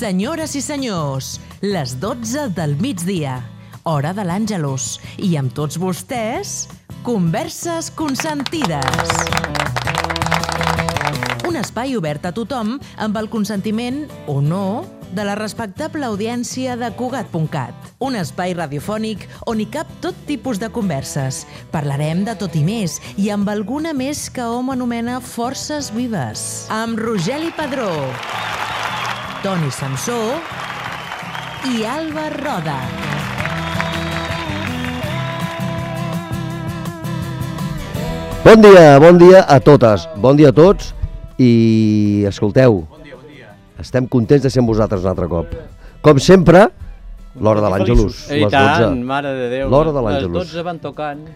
Senyores i senyors, les 12 del migdia, hora de l'Àngelus, i amb tots vostès, Converses Consentides. Un espai obert a tothom amb el consentiment, o no, de la respectable audiència de Cugat.cat. Un espai radiofònic on hi cap tot tipus de converses. Parlarem de tot i més, i amb alguna més que hom anomena forces vives. Amb Rogeli Padró, Toni Samsó i Alba Roda. Bon dia a totes, bon dia a tots i escolteu, estem contents de ser amb vosaltres un altre cop. Com sempre, l'hora de l'Àngelus, les 12. I tant, mare de Déu, l'hora de l'Àngelus. Les 12 van tocant.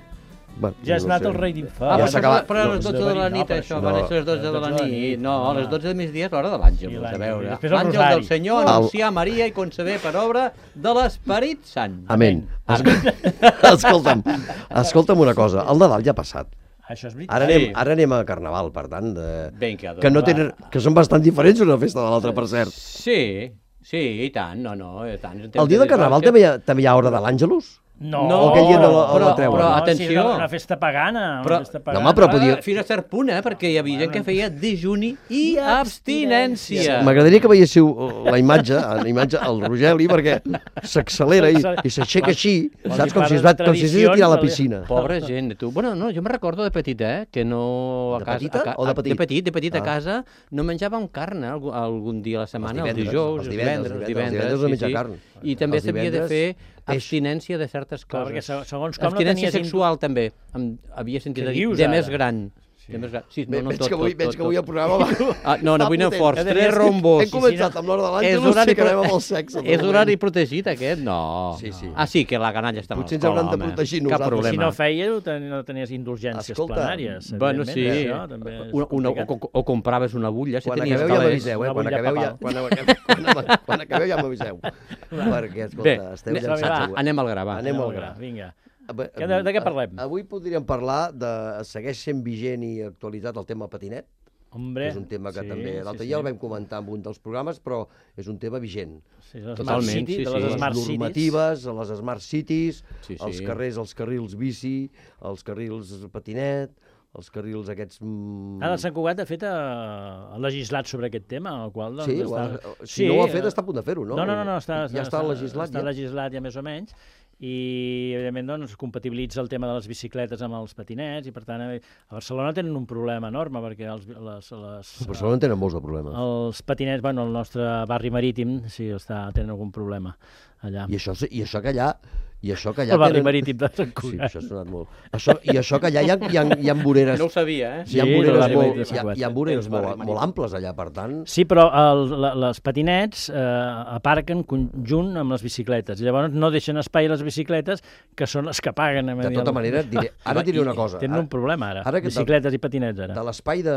Bueno, ja has anat el rei d'infant. Ja s'ha acabat. Però a les 12 de la nit, això, van ser les 12 de la nit. No, a les 12 de migdia és l'hora de l'Àngelus, a veure. L'àngel del Senyor anunciar Maria i conceber per obra de l'Esperit Sant. Amén. Escolta'm una cosa, el Nadal ja ha passat. Això és veritat. Ara anem a Carnaval, per tant, que són bastant diferents una festa de l'altra, per cert. Sí, i tant, no, i tant. El dia de Carnaval també hi ha hora de l'Àngelus? No, però atenció. Una festa pagana. No, home, però podia... Fins a cert punt, perquè hi havia gent que feia dejuni i abstinència. M'agradaria que veiéssiu la imatge, el Rogeli, perquè s'accelera i s'aixeca així, saps? Com si s'hagués de tirar a la piscina. Pobra gent, tu. Bueno, no, jo me recordo de petit, que no... De petita o de petit? De petit a casa no menjàvem carn algun dia a la setmana, el dijous, els divendres. I també s'havia de fer abstinència de certes coses. Perquè segons com abstinència sexual també. Havia sentit a dir de més gran. Veig que avui el programa va... No, avui anem forts. 3 rombos. Hem començat amb l'hora de l'Àngelus i acabem amb el sexe. És horari protegit, aquest? No. Sí. Sí, que la canalla està a l'escola, potser ens hauran de protegir nosaltres. Si no feies, no tenies indulgències plenàries. Bueno, sí. O compraves una bulla. Quan acabeu ja m'aviseu, Quan acabeu ja m'aviseu. Perquè, escolta, esteu llançats. Anem al gra, va. Anem al gra, vinga. De què parlem? Avui podríem parlar de... Segueix sent vigent i actualitzat el tema patinet. Hombre, és un tema que també... L'altre dia el vam comentar en un dels programes, però és un tema vigent. Totalment, les normatives, les Smart Cities, els carrers, els carrils bici, els carrils patinet, els carrils aquests... Ara Sant Cugat, de fet, ha legislat sobre aquest tema, el qual... Sí, si no ho ha fet, està a punt de fer-ho, no? No, ja està legislat. Està legislat ja més o menys, i evidentment doncs compatibilitza el tema de les bicicletes amb els patinets, i per tant a Barcelona tenen un problema enorme, perquè a Barcelona tenen molts de problemes. Els patinets, bueno, el nostre barri marítim sí tenen algun problema allà. I això que allà el barri marítim de Sant Cugat. Sí, això ha sonat molt. I això que allà hi ha voreres... No ho sabia, Hi ha voreres molt amples allà, per tant... Sí, però els patinets aparquen conjunt amb les bicicletes. Llavors no deixen espai a les bicicletes, que són les que paguen. De tota manera, ara diré una cosa. Tenen un problema, ara. Bicicletes i patinets, ara. De l'espai de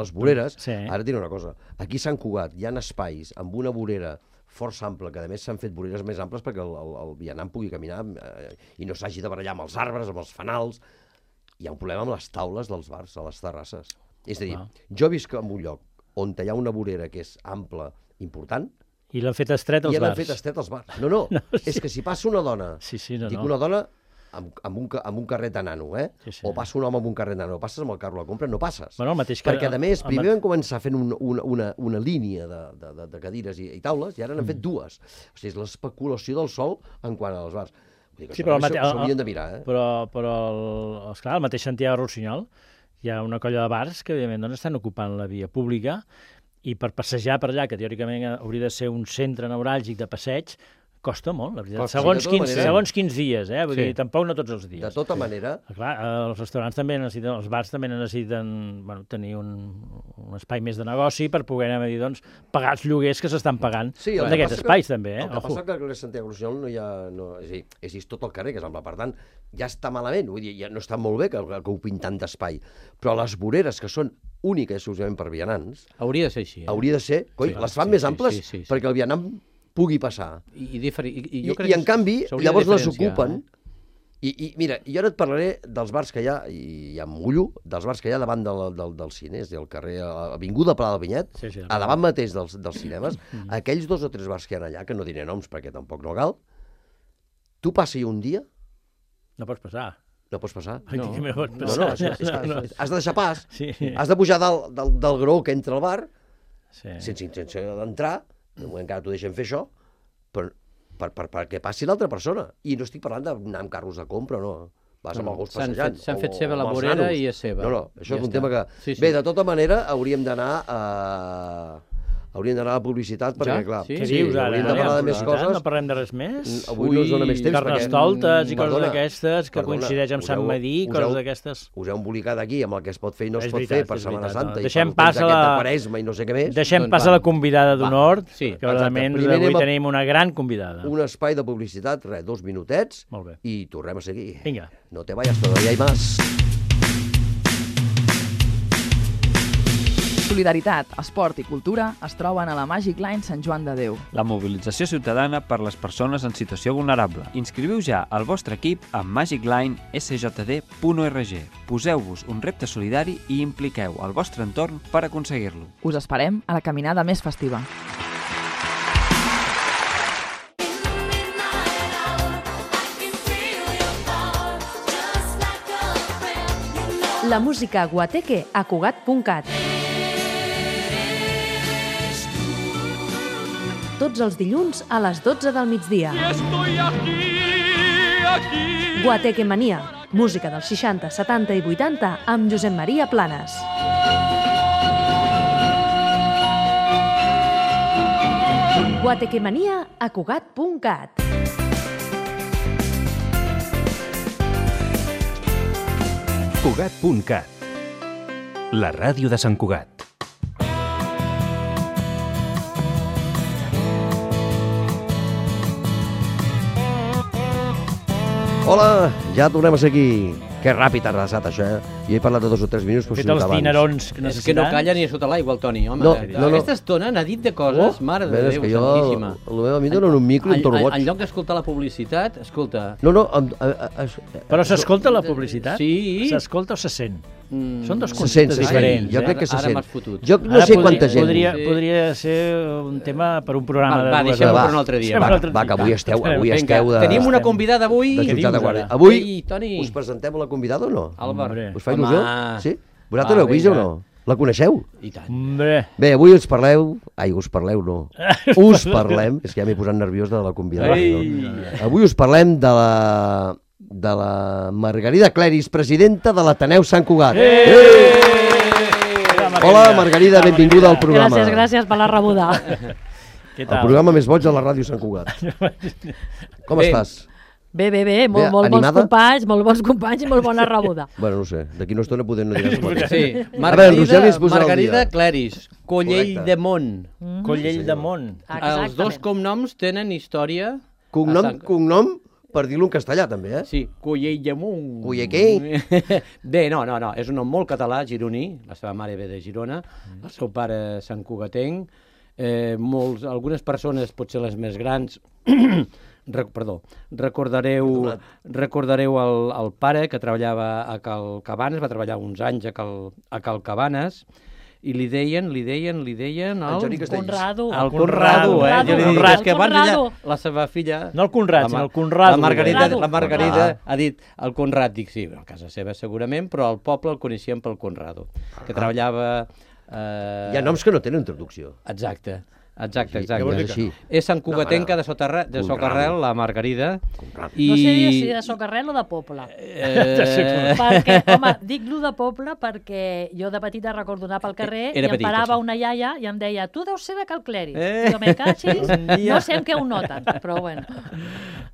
les voreres, ara diré una cosa. Aquí a Sant Cugat hi ha espais amb una vorera força ample, que a més s'han fet voreres més amples perquè el vianant pugui caminar i no s'hagi de barallar amb els arbres, amb els fanals. Hi ha un problema amb les taules dels bars, a les terrasses. És a dir, jo visc en un lloc on hi ha una vorera que és ampla, important, i l'han fet estret als bars. I l'han fet estret als bars. No, és que si passa una dona, dic una dona amb un carret de nano, o passa un home amb un carret de nano, passes amb el carro a la compra, no passes. Bueno, perquè, a més, primer vam començar fent una línia de cadires i taules, i ara n'han fet dues. O sigui, és l'especulació del sol en quant als bars. Vull dir que s'ho haurien de mirar, Però, esclar, al mateix Santiago Rossinyol hi ha una colla de bars que, evidentment, estan ocupant la via pública, i per passejar per allà, que teòricament hauria de ser un centre neuràlgic de passeig, costa molt, la veritat. Segons quins dies, vull dir, tampoc no tots els dies. De tota manera... Clar, els restaurants també necessiten, els bars també necessiten tenir un espai més de negoci per poder, doncs, pagar els lloguers que s'estan pagant d'aquests espais, també. El que passa que al carrer Santiago Rossinyol no hi ha... És tot el carrer, que és ample, per tant, ja està malament, vull dir, ja no està molt bé que ocupin tant d'espai, però les voreres, que són úniques exclusivament per vianants... Hauria de ser així. Hauria de ser, les fan més amples perquè el vianant pugui passar. I en canvi, llavors les ocupen I mira, jo ara et parlaré dels bars que hi ha, i em mullo, dels bars que hi ha davant del cine, és a dir, al carrer, a Avinguda Pla del Vinyet, a davant mateix dels cinemes, aquells 2 o 3 bars que hi ha allà, que no diré noms perquè tampoc no cal, tu passi un dia... No pots passar. No pots passar? No, has de deixar pas. Has de pujar del gró que entra al bar, sense d'entrar, de moment encara t'ho deixen fer això, però perquè passi l'altra persona. I no estic parlant d'anar amb carros de compra, no. Vas amb el gos passejant. S'han fet seva la vorera i és seva. No, això és un tema que... Bé, de tota manera, hauríem d'anar a la publicitat, perquè, clar... Què dius ara? Hauríem de parlar de més coses. No parlem de res més? Avui no ens dona més temps, perquè... Carnestoltes i coses d'aquestes, que coincideix amb Sant Madí, coses d'aquestes... Us heu embolicat aquí amb el que es pot fer i no es pot fer per Setmana Santa, i deixem per temps de Quaresma i no sé què més. Deixem pas a la convidada d'honor, que realment avui tenim una gran convidada. Un espai de publicitat, 2 minutets, i tornem a seguir. Vinga. No te vayas, todavía hay más. Solidaritat, esport i cultura es troben a la Magic Line Sant Joan de Déu. La mobilització ciutadana per les persones en situació vulnerable. Inscriviu ja el vostre equip a magiclinesjd.org. Poseu-vos un repte solidari i impliqueu el vostre entorn per aconseguir-lo. Us esperem a la caminada més festiva. La música guateque a Cugat.cat. Tots els dilluns a les 12 del migdia. Guateque Mania, música dels 60, 70 i 80 amb Josep Maria Planes. Guateque Mania a Cugat.cat. Cugat.cat, la ràdio de Sant Cugat. Hola, ja tornem a ser aquí. Que ràpid ha passat això, Jo he parlat de 2 o 3 minuts, però fet els dinerons que necessitats. És que no calla ni a sota l'aigua, el Toni, home. No. Aquesta estona n'ha dit de coses, mare de Déu, santíssima. A mi em donen un micro i em torno boig. En lloc d'escoltar la publicitat, escolta... No. Però s'escolta la publicitat? Sí. S'escolta o se sent? Són dos conceptes diferents. Jo crec que se sent. Jo no sé quanta gent... Podria ser un tema per un programa de... Va, deixem-ho per un altre dia. Va, que avui esteu de... Tenim una convidada avui. Avui us presentem la convidada o no? Álvaro. Us fa il·lusió? Sí? Vosaltres l'heu vist o no? La coneixeu? I tant. Bé, avui us parleu... us parleu, no. Us parlem... És que ja m'he posat nerviós de la convidada. Avui us parlem de la Margarida Cleris, presidenta de l'Ateneu Sant Cugat. Hola, Margarida, benvinguda al programa. Gràcies per la rebuda. El programa més boig de la ràdio Sant Cugat. Com estàs? Bé, molt bons companys i molt bona rebuda. Bueno, no sé, d'aquí una estona podem no dir res. Sí, Margarida Cleris, Collell de Mont. Collell de Mont. Els dos cognoms tenen història. Cognom, per dir-lo en castellà també, eh? Sí, Collell de Mont. Collell què? Bé, no, és un nom molt català, gironí, la seva mare ve de Girona, el seu pare santcugatenc, algunes persones, potser les més grans, recordareu el pare que treballava a Cal Cabanes, va treballar uns anys a Cal Cabanes, i li deien el Conrado. El Conrado, jo li dic, és que abans la seva filla... No el Conrad, sinó el Conrado. La Margarida ha dit el Conrad, dic sí, a casa seva segurament, però al poble el coneixien pel Conrado, que treballava... Hi ha noms que no tenen traducció. Exacte. És santcugatenca de Socarrel, la Margarida. No sé si de Socarrel o de Poble. Perquè, home, dic lo de Poble perquè jo de petita recordo anar pel carrer i em parava una iaia i em deia tu deus ser de Cal Cleris. Jo me cachis, no sé en què ho noten, però bueno.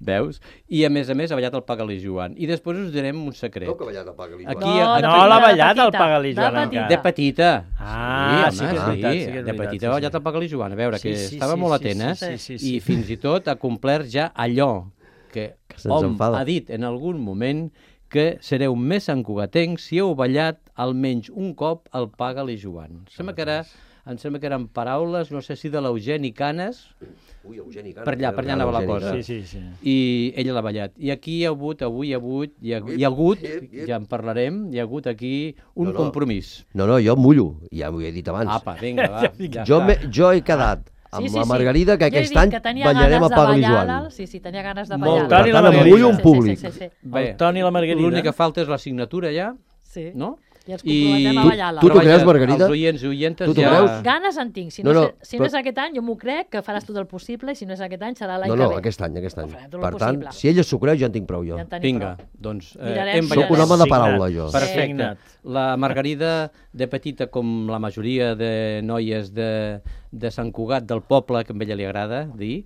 Veus? I a més ha ballat el Pagalí Joan. I després us direm un secret. Com que ha ballat el Pagalí Joan? No l'ha ballat el Pagalí Joan encara. De petita. Sí, de petita ha ballat el Pagalí Joan. A veure, que estava molt atent, i fins i tot ha complert ja allò que hom ha dit en algun moment que sereu més santcugatencs si heu ballat almenys un cop el Pagalí Joan. Em sembla que eren paraules, no sé si de l'Eugeni Canes, Ui, Eugeni Cano. Per allà anava la cosa. Sí. I ella l'ha ballat. I aquí hi ha hagut, ja en parlarem, hi ha hagut aquí un compromís. No, jo mullo, ja m'ho he dit abans. Apa, vinga, va. Jo he quedat amb la Margarida que aquest any ballarem a Pablo i Joan. Sí, tenia ganes de ballar. Per tant, em mullo en públic. El Toni i la Margarida. L'únic que falta és la signatura ja, no? I ens comprometem a ballar-la. Tu t'ho creus, Margarida? Els oients i oientes tu ja... Ganes en tinc. Si no és aquest any, jo m'ho crec, que faràs tot el possible, i si no és aquest any, serà l'any que ve. No, aquest any. Per tant, si ella s'ho creu, ja en tinc prou jo. Vinga, doncs... Soc un home de paraula, jo. Perfecte. La Margarida, de petita, com la majoria de noies de Sant Cugat, del poble, que a ella li agrada dir,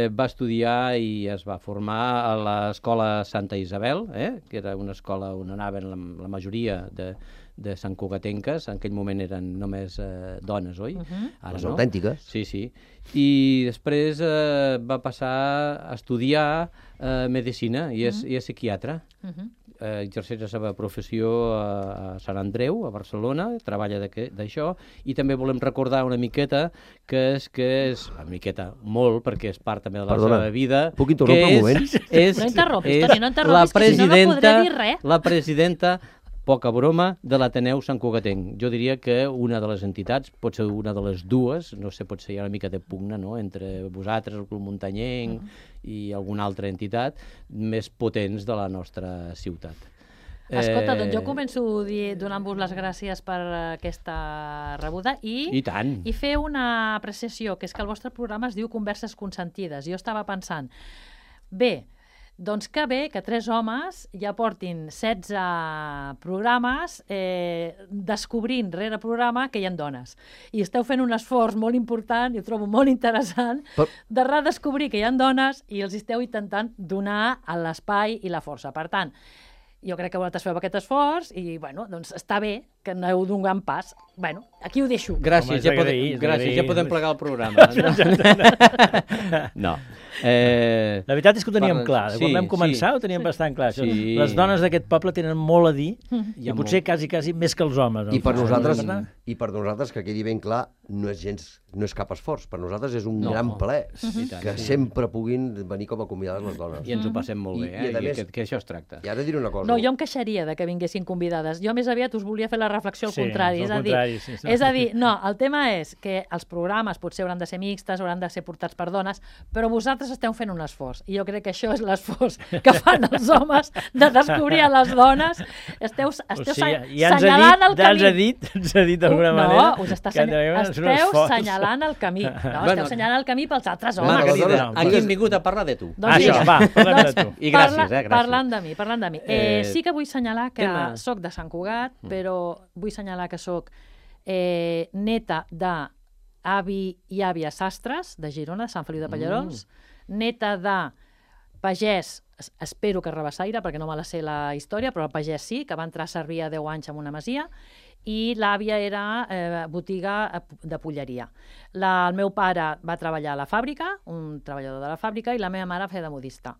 va estudiar i es va formar a l'escola Santa Isabel, que era una escola on anaven la majoria de Sant Cugatenques, en aquell moment eren només dones, oi? Les autèntiques. Sí. I després va passar a estudiar medicina i és psiquiatra. Exerceix la seva professió a Sant Andreu, a Barcelona, treballa d'això, i també volem recordar una miqueta una miqueta, molt, perquè és part també de la seva vida. Puc interrompre un moment? No interrompis, Toni, no interrompis, que si no podré dir res. La presidenta, poca broma, de l'Ateneu Sant Cugatenc. Jo diria que una de les entitats, pot ser una de les dues, no sé, pot ser una mica de pugna, no?, entre vosaltres, el Club Muntanyenc i alguna altra entitat, més potents de la nostra ciutat. Escolta, doncs jo començo donant-vos les gràcies per aquesta rebuda i fer una apreciació, que és que el vostre programa es diu Converses Consentides. Jo estava pensant, doncs que bé que 3 homes ja portin 16 programes descobrint rere programa que hi ha dones. I esteu fent un esforç molt important, i ho trobo molt interessant, de redescobrir que hi ha dones i els esteu intentant donar l'espai i la força. Per tant, jo crec que vosaltres feu aquest esforç i, bueno, doncs està bé que aneu d'un gran pas. Bueno, aquí ho deixo. Gràcies, ja podem plegar el programa. No. La veritat és que ho teníem clar. Quan vam començar ho teníem bastant clar. Les dones d'aquest poble tenen molt a dir i potser quasi més que els homes. I per nosaltres, que quedi ben clar, no és cap esforç. Per nosaltres és un gran plaer que sempre puguin venir com a convidades les dones. I ens ho passem molt bé, que això es tracta. I ara diré una cosa. No, jo em queixaria de que vinguessin convidades. Jo més aviat us volia fer la reflexió al contrari. És a dir, no, el tema és que els programes potser hauran de ser mixtes, hauran de ser portats per dones, però vosaltres esteu fent un esforç. I jo crec que això és l'esforç que fan els homes de descobrir a les dones. Esteu assenyalant el camí. Ens ha dit d'alguna manera. No, esteu assenyalant el camí. Esteu assenyalant el camí pels altres homes. Margarida, aquí hem vingut a parlar de tu. Això, va, parlem de tu. I gràcies, Parlant de mi. Sí que vull assenyalar que soc de Sant Cugat, però vull assenyalar que soc neta d'avi i àvia sastres de Girona, de Sant Feliu de Pallerols, neta de pagès, espero que rabassaire, perquè no me la sé la història, però el pagès sí, que va entrar a servir a 10 anys en una masia, i l'àvia era botiga de polleria. El meu pare va treballar a la fàbrica, un treballador de la fàbrica, i la meva mare feia de modista.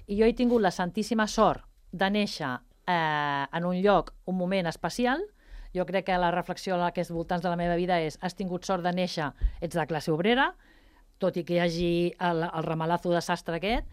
I jo he tingut la santíssima sort de néixer en un lloc, un moment especial. Jo crec que la reflexió a aquests voltants de la meva vida és: has tingut sort de néixer, ets de classe obrera, tot i que hi hagi el ramalazo de sastre aquest,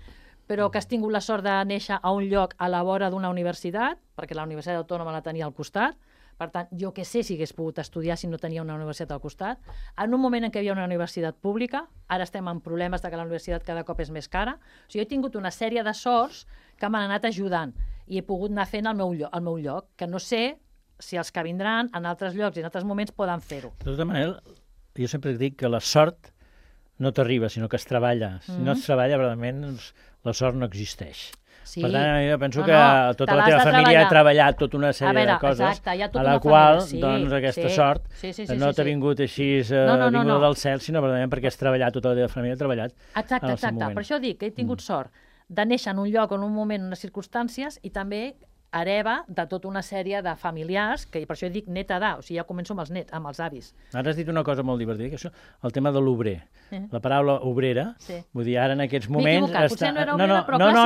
però que has tingut la sort de néixer a un lloc a la vora d'una universitat, perquè la Universitat Autònoma la tenia al costat. Per tant, jo què sé si hagués pogut estudiar si no tenia una universitat al costat. En un moment en què hi havia una universitat pública, ara estem en problemes de que la universitat cada cop és més cara. O sigui, jo he tingut una sèrie de sorts que m'han anat ajudant i he pogut anar fent el meu lloc, que no sé si els que vindran en altres llocs i en altres moments poden fer-ho. De tota manera, jo sempre dic que la sort no t'arriba, sinó que es treballa. Si no es treballa, realment la sort no existeix. Sí. Per tant, jo penso que tota la teva família ha treballat tota una sèrie de coses a la qual doncs, aquesta sort no t'ha vingut així vinguda del cel, sinó perquè has treballat, tota la teva família ha treballat en el seu moment. Per això dic que he tingut sort de néixer en un lloc, en un moment, en unes circumstàncies, i també hereva de tota una sèrie de familiars, que per això dic neta o sigui, ja començo amb els avis. Ara has dit una cosa molt divertida, que és el tema de l'obrer. La paraula obrera, vull dir, ara en aquests moments... M'he equivocat, potser no era obrera, però clàssica.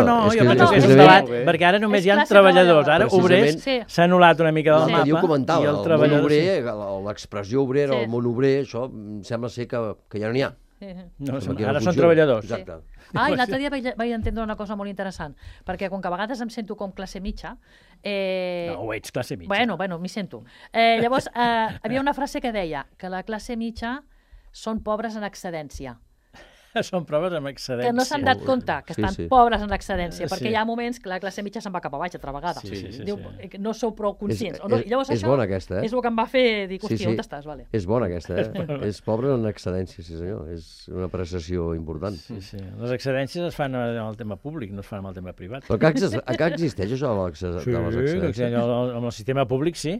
No, jo penso que és un debat, perquè ara només hi ha treballadors, ara obrers s'ha anul·lat una mica del mapa. Jo comentava, el món obrer, l'expressió obrera, el món obrer, això em sembla ser que ja no n'hi ha. No, ara són treballadors. Exacte. I l'altre dia vaig entendre una cosa molt interessant, perquè com que a vegades em sento com classe mitja... No, ho ets classe mitja. Bueno, m'hi sento. Llavors, havia una frase que deia que la classe mitja són pobres en excedència. Són pobres en excedència. Que no s'han dat compte que estan pobres en excedència, perquè hi ha moments que la classe mitja se'n va cap a baix altra vegada. Diu, no sou prou conscients. És bona aquesta, És el que em va fer dir, hòstia, on estàs? És bona aquesta, és pobre en excedència, sí senyor. És una apreciació important. Sí. Les excedències es fan en el tema públic, no es fan en el tema privat. Però que existeix això de les excedències? Sí, amb el sistema públic sí.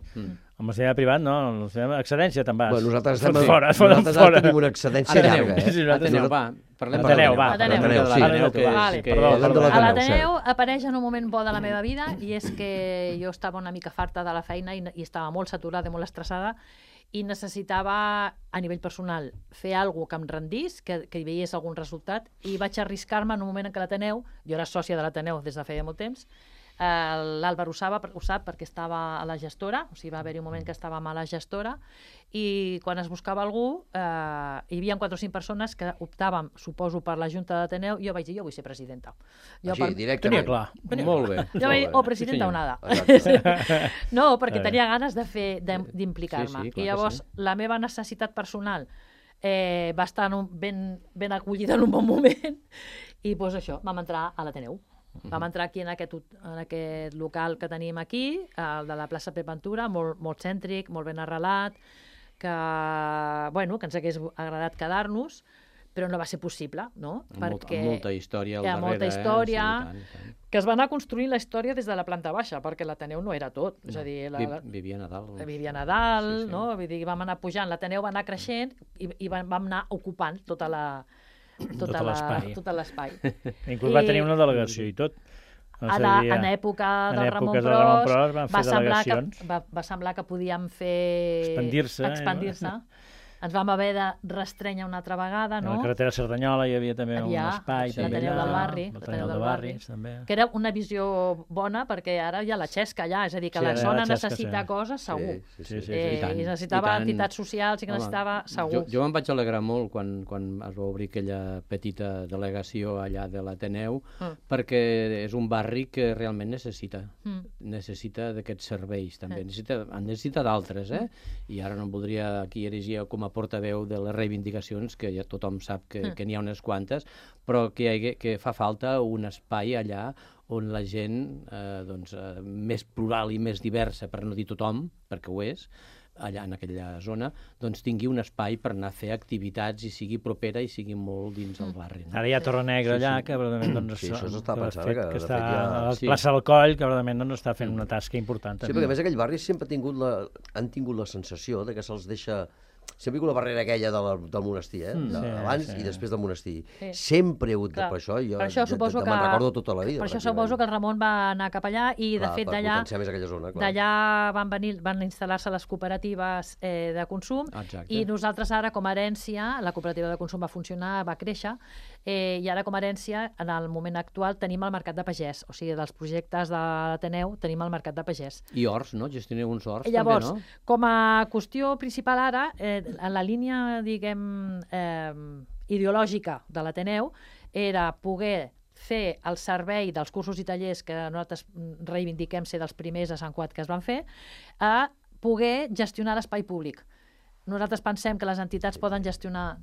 Amb el sistema privat no, amb el sistema excedència te'n vas. Nosaltres tenim una excedència llarga. Ateneu, va. Parlem a l'Ateneu apareix en un moment bo de la meva vida i és que jo estava una mica farta de la feina i estava molt saturada i molt estressada i necessitava, a nivell personal, fer alguna cosa que em rendís, que hi veiés algun resultat, i vaig arriscar-me en un moment en què l'Ateneu, jo era sòcia de l'Ateneu des de feia molt temps, l'Àlvar ho sap perquè estava a la gestora, o sigui, va haver-hi un moment que estàvem a la gestora i quan es buscava algú hi havia 4 o 5 persones que optàvem, suposo, per la Junta d'Ateneu i jo vaig dir, jo vull ser presidenta. Directament. Tenia clar. Molt bé. Jo vaig dir, presidenta o nada. No, perquè tenia ganes d'implicar-me. I llavors la meva necessitat personal va estar ben acollida en un bon moment i doncs això, vam entrar a l'Ateneu. Vam entrar aquí en aquest local que tenim aquí, el de la plaça Pep Ventura, molt cèntric, molt ben arrelat, que ens hagués agradat quedar-nos, però no va ser possible, no? Perquè molta història al darrere. Hi ha molta història, que es va anar construint la història des de la planta baixa, perquè l'Ateneu no era tot. És a dir, vivia a dalt. Vivia a dalt, no? Vull dir, vam anar pujant, l'Ateneu va anar creixent i vam anar ocupant tot l'espai. Inclús va tenir una delegació i tot. En època del Ramon Pros va semblar que podíem fer... Expandir-se. Ens vam haver de restrènyer una altra vegada, no? A la carretera Cerdanyola hi havia també un espai. L'Ateneu del Barri. Que era una visió bona, perquè ara hi ha la xesca allà, és a dir, que la zona necessita coses, segur. I necessitava entitats socials i que necessitava segur. Jo me'n vaig alegrar molt quan es va obrir aquella petita delegació allà de l'Ateneu, perquè és un barri que realment necessita d'aquests serveis, també. Necessita d'altres, i ara no em voldria aquí erigir com a portaveu de les reivindicacions, que ja tothom sap que n'hi ha unes quantes, però que fa falta un espai allà on la gent més plural i més diversa, per no dir tothom, perquè ho és, allà en aquella zona, doncs tingui un espai per anar a fer activitats i sigui propera i sigui molt dins el barri. Ara hi ha Torre Negra allà, que verdaderament està a la plaça del Coll, que verdaderament està fent una tasca important. Sí, perquè a més aquell barri sempre han tingut la sensació de que se'ls deixa... Sempre hi ha hagut la barrera aquella del monestir, abans i després del monestir. Sempre hi ha hagut per això, jo me'n recordo tota la vida. Per això suposo que el Ramon va anar cap allà i, de fet, d'allà van instal·lar-se les cooperatives de consum i nosaltres ara, com a herència, la cooperativa de consum va funcionar, va créixer, i ara, com a herència, en el moment actual, tenim el mercat de pagès. O sigui, dels projectes de l'Ateneu tenim el mercat de pagès. I horts, no? Gestioneu uns horts, també, no? Llavors, com a qüestió principal ara, en la línia, diguem, ideològica de l'Ateneu, era poder fer el servei dels cursos i tallers que nosaltres reivindiquem ser dels primers a Sant Cugat que es van fer, a poder gestionar l'espai públic. Nosaltres pensem que les entitats poden gestionar...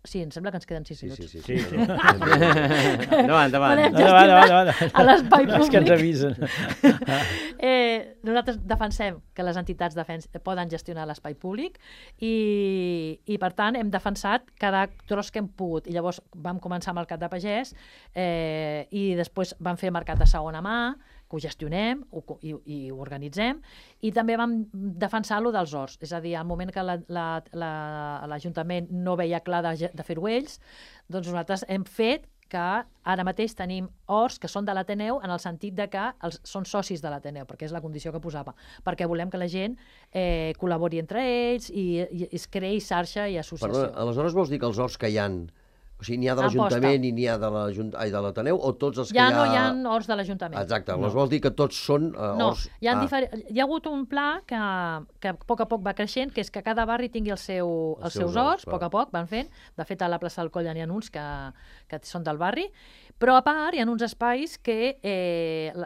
Sí, em sembla que ens queden 6 minuts. Sí. Endavant. A l'espai públic. És que ens avisen. Nosaltres defensem que les entitats poden gestionar l'espai públic i, per tant, hem defensat cada tros que hem pogut. I llavors vam començar amb el Mercat de Pagès i després vam fer Mercat de Segona Mà, que ho gestionem i ho organitzem, i també vam defensar lo dels horts. És a dir, al moment que l'Ajuntament no veia clar de fer-ho ells, doncs nosaltres hem fet que ara mateix tenim horts que són de l'Ateneu en el sentit de que són socis de l'Ateneu, perquè és la condició que posava, perquè volem que la gent col·labori entre ells i es creï xarxa i associació. Aleshores vols dir que els horts que hi ha O sigui, n'hi ha de l'Ajuntament i n'hi ha de l'Ateneu, o tots els que hi ha... No hi ha horts de l'Ajuntament. Exacte, vols dir que tots són horts... No, hi ha hagut un pla que a poc va creixent, que és que cada barri tingui els seus horts, a poc van fent. De fet, a la plaça del Coll n'hi ha uns que són del barri, però a part hi ha uns espais que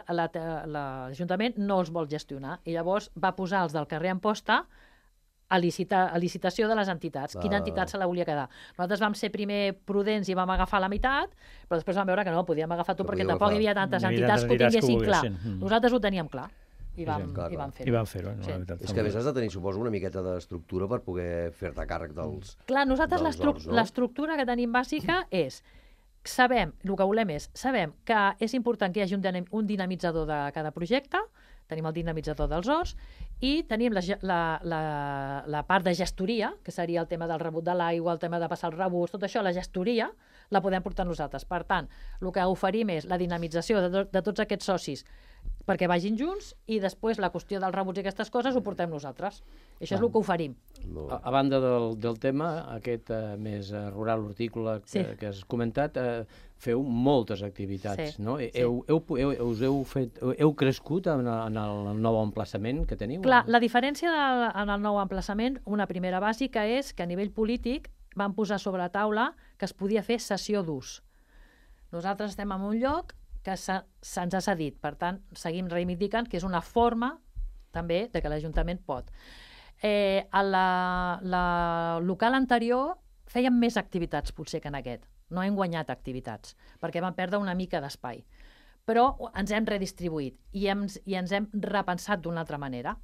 l'Ajuntament no els vol gestionar, i llavors va posar els del carrer Amposta a licitació de les entitats. Quina entitat se la volia quedar? Nosaltres vam ser primer prudents i vam agafar la meitat, però després vam veure que no, podíem agafar tot perquè tampoc hi havia tantes entitats que ho tinguessin clar. Nosaltres ho teníem clar i vam fer-ho. I vam fer-ho. És que a més has de tenir, suposo, una miqueta d'estructura per poder fer-te càrrec dels... Clar, nosaltres l'estructura que tenim bàsica és sabem que és important que hi hagi un dinamitzador de cada projecte, tenim el dinamitzador dels horts, i tenim la part de gestoria, que seria el tema del rebut de l'aigua, el tema de passar el rebut, tot això, la gestoria, la podem portar nosaltres. Per tant, el que oferim és la dinamització de tots aquests socis perquè vagin junts, i després la qüestió dels rebuts i aquestes coses ho portem nosaltres. Això és el que oferim. A banda del tema, aquest més rural hortícola que has comentat, feu moltes activitats, no? Heu crescut en el nou emplaçament que teniu? Clar, la diferència en el nou emplaçament, una primera bàsica, és que a nivell polític van posar sobre la taula que es podia fer cessió d'ús. Nosaltres estem en un lloc que se'ns ha cedit, per tant, seguim reivindicant que és una forma també de que l'Ajuntament pot. A la local anterior fèiem més activitats potser que en aquest. No hem guanyat activitats, perquè vam perdre una mica d'espai. Però ens hem redistribuït i ens hem repensat d'una altra manera.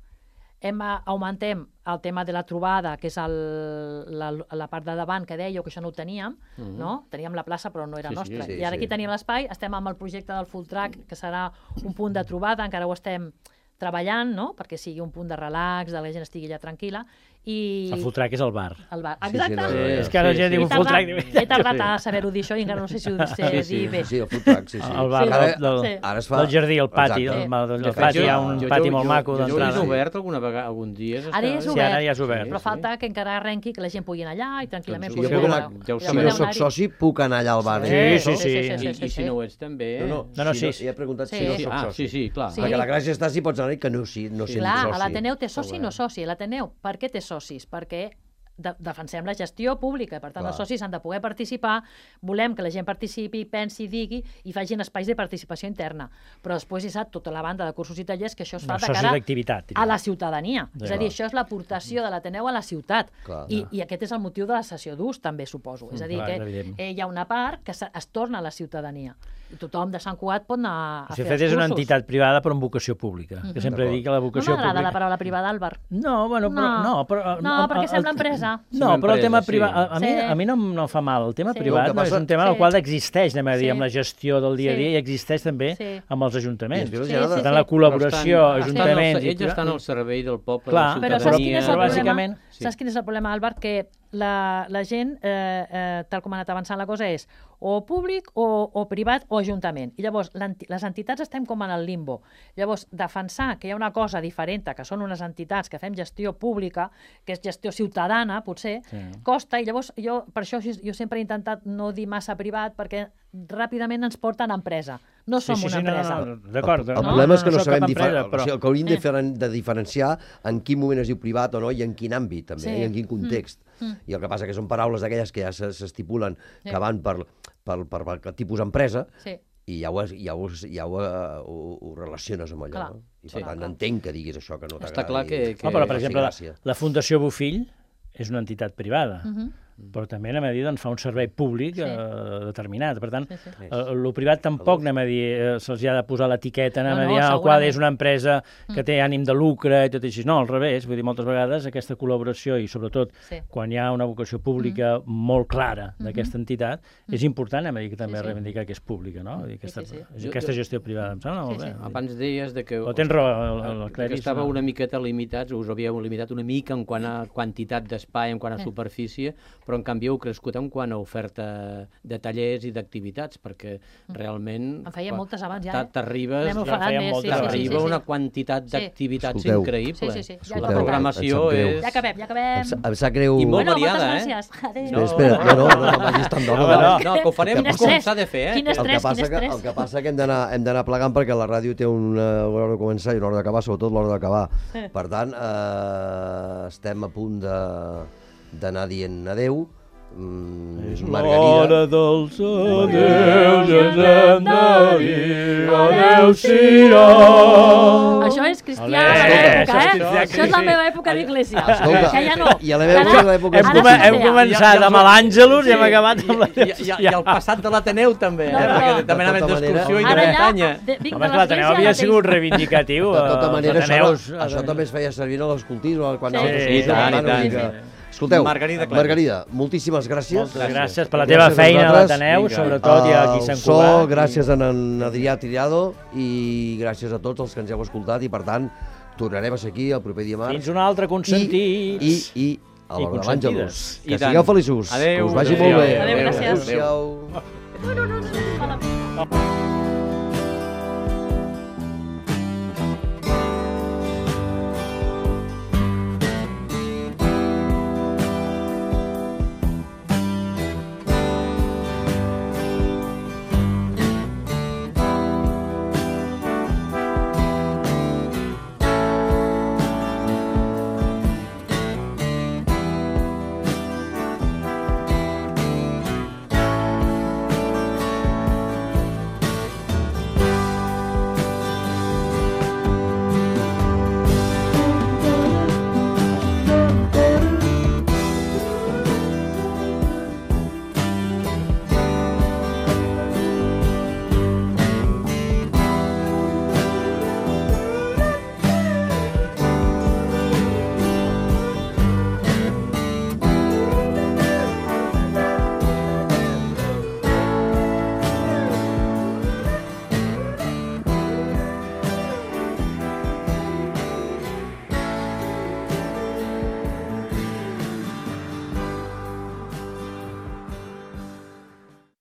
Augmentem el tema de la trobada, que és la part de davant que dèieu, que això no ho teníem, no? Teníem la plaça però no era nostra. I ara aquí tenim l'espai, estem amb el projecte del Full Track, que serà un punt de trobada, encara ho estem treballant, no? Perquè sigui un punt de relax, de la gent estigui allà tranquil·la. El Full Track és el bar. Exacte. És que la gent diu Full Track. He tardat a saber-ho dir això i encara no sé si ho sé dir bé. Sí, el Full Track, sí. El bar del jardí, el pati. El pati, hi ha un pati molt maco d'entrada. Jo l'he obert algun dia. Ara ja és obert. Però falta que encara arrenqui, que la gent pugui anar allà i tranquil·lament... Si no soc soci, puc anar allà al bar. Sí. I si no ho ets, també... No, sí. He preguntat si no soc soci. Sí, clar. Perquè la gràcia està si pots anar i que no siguin soci. Clar, a l'Ateneu té soci, no soci. L'Ateneu, per què té socis? Perquè defensem la gestió pública, per tant els socis han de poder participar, volem que la gent participi, pensi, digui i facin espais de participació interna, però després hi ha tota la banda de cursos i tallers que això es fa de cara a la ciutadania, és a dir, això és l'aportació de l'Ateneu a la ciutat, i aquest és el motiu de la cessió d'ús també, suposo, és a dir, que hi ha una part que es torna a la ciutadania i tothom de Sant Cugat pot anar a fer els cursos. És una entitat privada però amb vocació pública, que sempre dic que la vocació pública... No m'agrada la paraula privada, Àlvar. No, perquè sembla empresa. No, però el tema privat, a mi no em fa mal. El tema privat és un tema en el qual existeix, anem a dir, amb la gestió del dia a dia, i existeix també amb els ajuntaments. Per tant, la col·laboració, ajuntaments... Ells estan al servei del poble, de la ciutadania... Saps quin és el problema, Àlvar? Que la gent, tal com ha anat avançant la cosa, és o públic o privat o ajuntament. I llavors les entitats estem com en el limbo. Llavors, defensar que hi ha una cosa diferent, que són unes entitats que fem gestió pública, que és gestió ciutadana, potser, costa, i llavors per això jo sempre he intentat no dir massa privat, perquè ràpidament ens porten a empresa. No som una empresa. D'acord. El problema és que no sabem diferenciar, el que hauríem de diferenciar en quin moment es diu privat o no i en quin àmbit, també, i en quin context. I el que passa que són paraules d'aquelles que ja s'estipulen que van per tipus empresa, i ja ho relaciones amb allò. I per tant entenc que diguis això, que no t'agrada. Està clar que... Però, per exemple, la Fundació Bofill és una entitat privada, però també, anem a dir, fa un servei públic determinat. Per tant, el privat tampoc, anem a dir, se'ls ha de posar l'etiqueta, anem a dir, el qual és una empresa que té ànim de lucre i tot així. No, al revés, vull dir, moltes vegades aquesta col·laboració i, sobretot, quan hi ha una vocació pública molt clara d'aquesta entitat, és important, anem a dir, que també reivindicar que és pública, no? Aquesta gestió privada, em sembla molt bé. Abans deies que estava una miqueta limitats, us havíeu limitat una mica en quant a quantitat d'espai, en quant a superfície, però en canvi heu crescut en quant a oferta de tallers i d'activitats, perquè realment... En feia moltes abans ja, T'arriba una quantitat d'activitats increïble. La programació és... Ja acabem. Em sap greu... I molt variada, moltes gràcies. Adéu. Espera, no vagis tan d'hora. No, que ho farem com s'ha de fer, Quin estrès. El que passa que hem d'anar plegant perquè la ràdio té una hora de començar i una hora d'acabar, sobretot l'hora d'acabar. Per tant, estem a punt d'anar dient adeu. És l'hora dels adeus, ens hem de dir adeu-siau. Això és cristià de l'època, Això és la meva època d'Iglésia. Això ja no. I a la meva època... Hem començat amb l'Àngelus i hem acabat amb la... I el passat de l'Ateneu també, perquè també anaven d'excursió i de muntanya. Home, que l'Ateneu havia sigut reivindicatiu. De tota manera, això també es feia servir en l'escoltisme. Sí, tant. Escolteu, Margarida, moltíssimes gràcies. Moltes gràcies per la teva feina a l'Ateneu, sobretot, i aquí a Sant Cugat. Gràcies a en Adrià Tirado i gràcies a tots els que ens heu escoltat i, per tant, tornarem a ser aquí el proper dimarts. Fins un altre, consentits. I a l'hora de l'Àngelus. Que sigueu feliços. Adéu. Que us vagi molt bé. Adéu, gràcies. Adéu.